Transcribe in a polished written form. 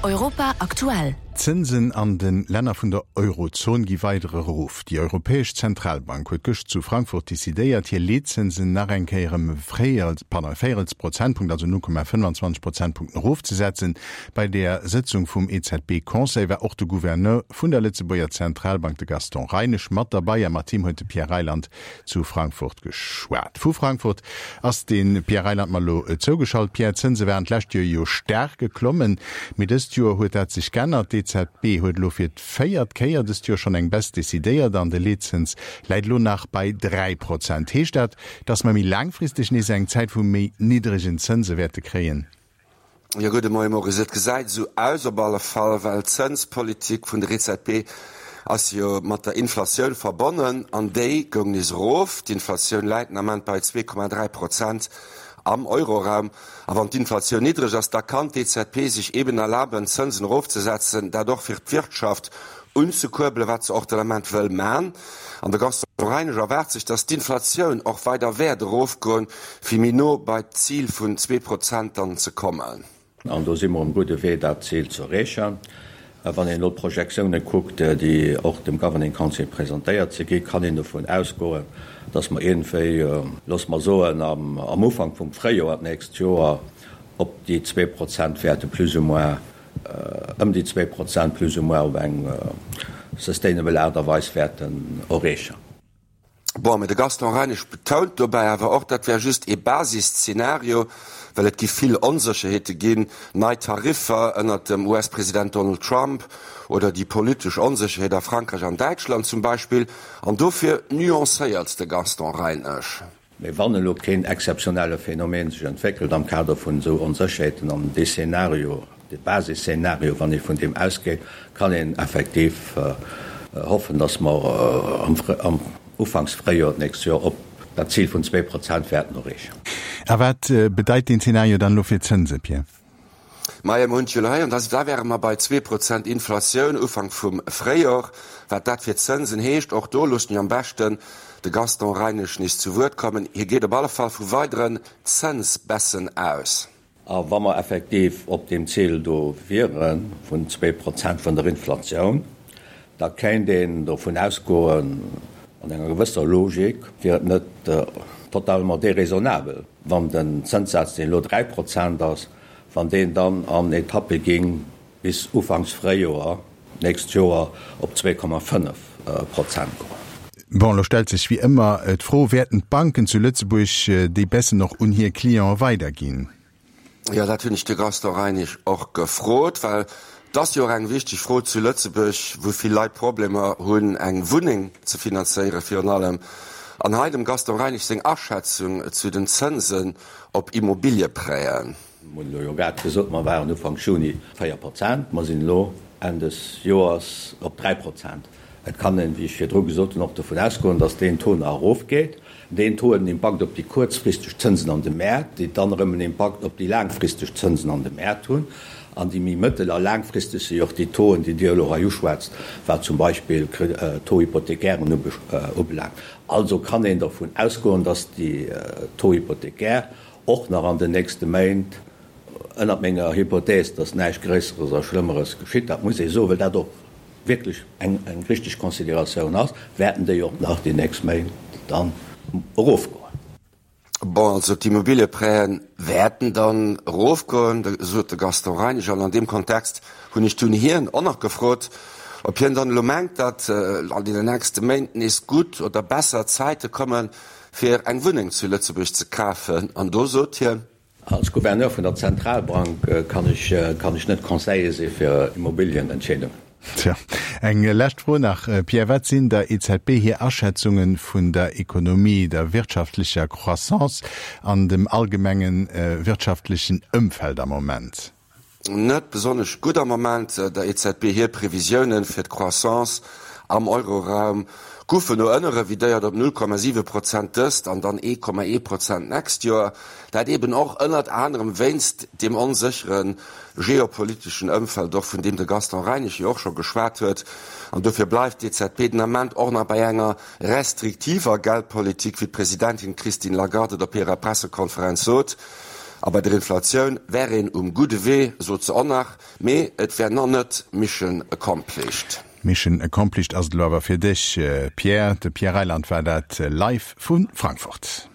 Europa aktuell. D'Zënsen an de Länner vun der Eurozon gi weider erof. Déi Europäesch Zentralbank huet gëscht zu Frankfurt decidéiert, hir Leetzënsen nach eng Kéier ëm e Véierels Prozentpunkt, also 0,25 Prozentpunkten erofzesetzen. Bei der Sëtzung vum EZB-Conseil war och de Gouverneur vun der Lëtzebuerger Zentralbank, de Gaston Reinesch, mat derbei a mat him huet de Pierre Reyland zu Frankfurt geschwat. Vu Frankfurt ass de Pierre Reyland mer elo zougeschalt. Pierre, d'Zënse waren d'lescht Joer jo staark geklommen, mee dëst Joer huet dat sech g'ännert. D'EZB huet elo fir d'véiert Kéier dëst Joer schonn eng Baisse decidéiert an de Leetzëns läit elo nach bei 3 Prozent. Heescht dat, datt mer méi laangfristeg nees eng Zäit vu méi niddregen Zënse wäerte kréien? Jo, gudde Moie Maurice. Et gesäit esou aus op alle Fall, well d'Zënspolitik vun der EZB ass jo mat der Inflatioun verbonnen an déi goung nees erof. D'Inflatioun läit den Ament bei 2,3 Prozent am Euroraum. A wann d'Inflatioun niddreg ass, da kann d'EZB sech eben erlaben, d'Zënsen erofzesetzen, dat och fir d'Wirtschaft unzekuerbelen, wat se och den Ament wëll man. An de Gaston Reinesch erwaart sech, datt d'Inflatioun och weider wäert erofgoen, fir méi no bei d'Zil vun 2% dann ze kommen. An do si mer um gudde Wee, dat Zil ze erreechen. Wann een elo d'Projektioune kuckt, déi och dem Governing Council presentéiert si gi, kann een dovun ausgoen, datt mer iergendwéi, loosse mer soen, am Ufank vum Fréijoer d'nächst Joer op déi 2% wäerte plus ou moins ëm déi 2% plus ou moins op eng sustainable Aart a Weis wäerten erreechen. Bon, mee de Gaston Reinesch betount dobäi awer och, dat wär just ee Basisszenario, well et gi vill Onsécherheete ginn, nei Tariffer ënnert dem US-President Donald Trump oder déi politesch Onsécherheet a Frankräich an Däitschland zum Beispill. An dofir nuancéiert de Gaston Reinesch. Mee wann elo keen exzeptionelle Phänomen sech entwéckelt am Kader vun esou Onsécherheeten an dee Szenario, dee Basisszenario, wann ee vun deem ausgeet, kann een effektiv hoffen, datt mer am Ufanks Fréijoer d'nächst Joer op dat Zil vun 2% wäerten erreechen. A wat bedeit deen Szenario dann elo fir d'Zënse, Pierre? Majo, mer hunn et jo elo héieren, da da wäre mer bei 2% Inflatioun Ufank vum Fréijor. Wat dat fir d'Zënsen heescht, och do loosse mir am beschten de Gaston Reinesch nees zu Wuert kommen. Hie geet op alle Fall vu weideren Zënsbaissen aus. A wa mer effektiv op deem Zil do wiere vun 2% vun der Inflatioun, da kéint een dovun ausgoen, an enger gewësser Logik wier et net totalement déraisonnabel, wann den Zënssaz, deen elo 3% ass, wann deen dann an Etappe ging bis ufanks Fréijoer d'nächst Joer op 2,5 Prozent goen. Bon, elo stellt sech wéi ëmmer d'Fro, Wäerten d'Banken zu Lëtzebuerg déi Baissen och un hir Cliente weiderginn? Jo, dat hunn ech de Gaston Reinesch och gefrot, well et ass jo och eng wichteg Fro zu Lëtzebuerg, wou vill Leit Problemer hunn, eng Wunneng ze finanzéieren virun allem. An hei dem Gaston Reinesch seng Aschätzung zu den Zënsen op Immobiliëprêten. Mir hunn elo jo grad gesot, mer waren Ufank Juni 4 Prozent, mer sinn elo Enn des Joers op 3 Prozent. Et kann een, wéi ech virdru gesot hunn, och dovun ausgoen, datt deen Taux nach erofgeet. Deen Taux huet en Impakt op déi kuerzfristeg Zënsen an de Mäert, déi dann erëm en Impakt op déi laangfristeg Zënsen an de Mäert hunn. An déi méi mëttel a laangfristeg si och déi Tauxen, déi Dir elo hei uschwätzt, wat zum Beispill d'Taux hypothécairen ubelaangt. Also kann een dervun ausgoen, datt déi Taux hypothécaires och nach an den nächste Méint, ënnert menger Hypothèse, datt näischt Gréisseres a Schlëmmeres geschitt, dat muss ee soen, well dat och wierklech eng richteg Consideratioun ass, wäerten déi och nach déi nächst Méint dann erofgoen. Bon, also d'Immobilieprêten wäerten dann erofgoen, sot de Gaston Reinesch. An an deem Kontext hunn ech dunn hien och nach gefrot, ob hien dann elo mengt, datt an deenen nächste Méint nees gutt oder besser Zäite komme fir eng Wunneng zu Lëtzebuerg ze kafen. An do sot hien. Als Gouverneur vun der Zentralbank kann ech kann ech net Conseiller si fir Immobilienentscheedungen. Tja, eng lescht Fro nach, Pierre, Wat sinn der EZB hir Aschätzunge vun der Ekonomie, der wirtschaftlecher Croissance an dem allgemenge wirtschaftlechen Ëmfeld am Moment? Net besonnesch gutt am Moment. Der EZB hir Previsiounen fir d'Croissance am Euroraum goufen no ënne revidéiert op 0,7 Prozent dëst an dann 1,1 Prozent d'nächst Joer. Dat eben och ënnert anerem wéinst deem onséchere geopoliteschen Ëmfeld och, vun deem de Gaston Reinesch jo och scho geschwat huet. An dofir bleift d'EZB den Ament och nach bei enger restriktiver Geldpolitik, wéi d'Presidentin Christine Lagarde et op hirer Pressekonferenz sot. A bei der Inflatioun wär een um gudde Wee, sot se och nach, mee et wär nach net Mission accomplished. Mission accomplished ass et elo awer fir dech, Pierre. De Pierre Reyland war dat live vu Frankfurt.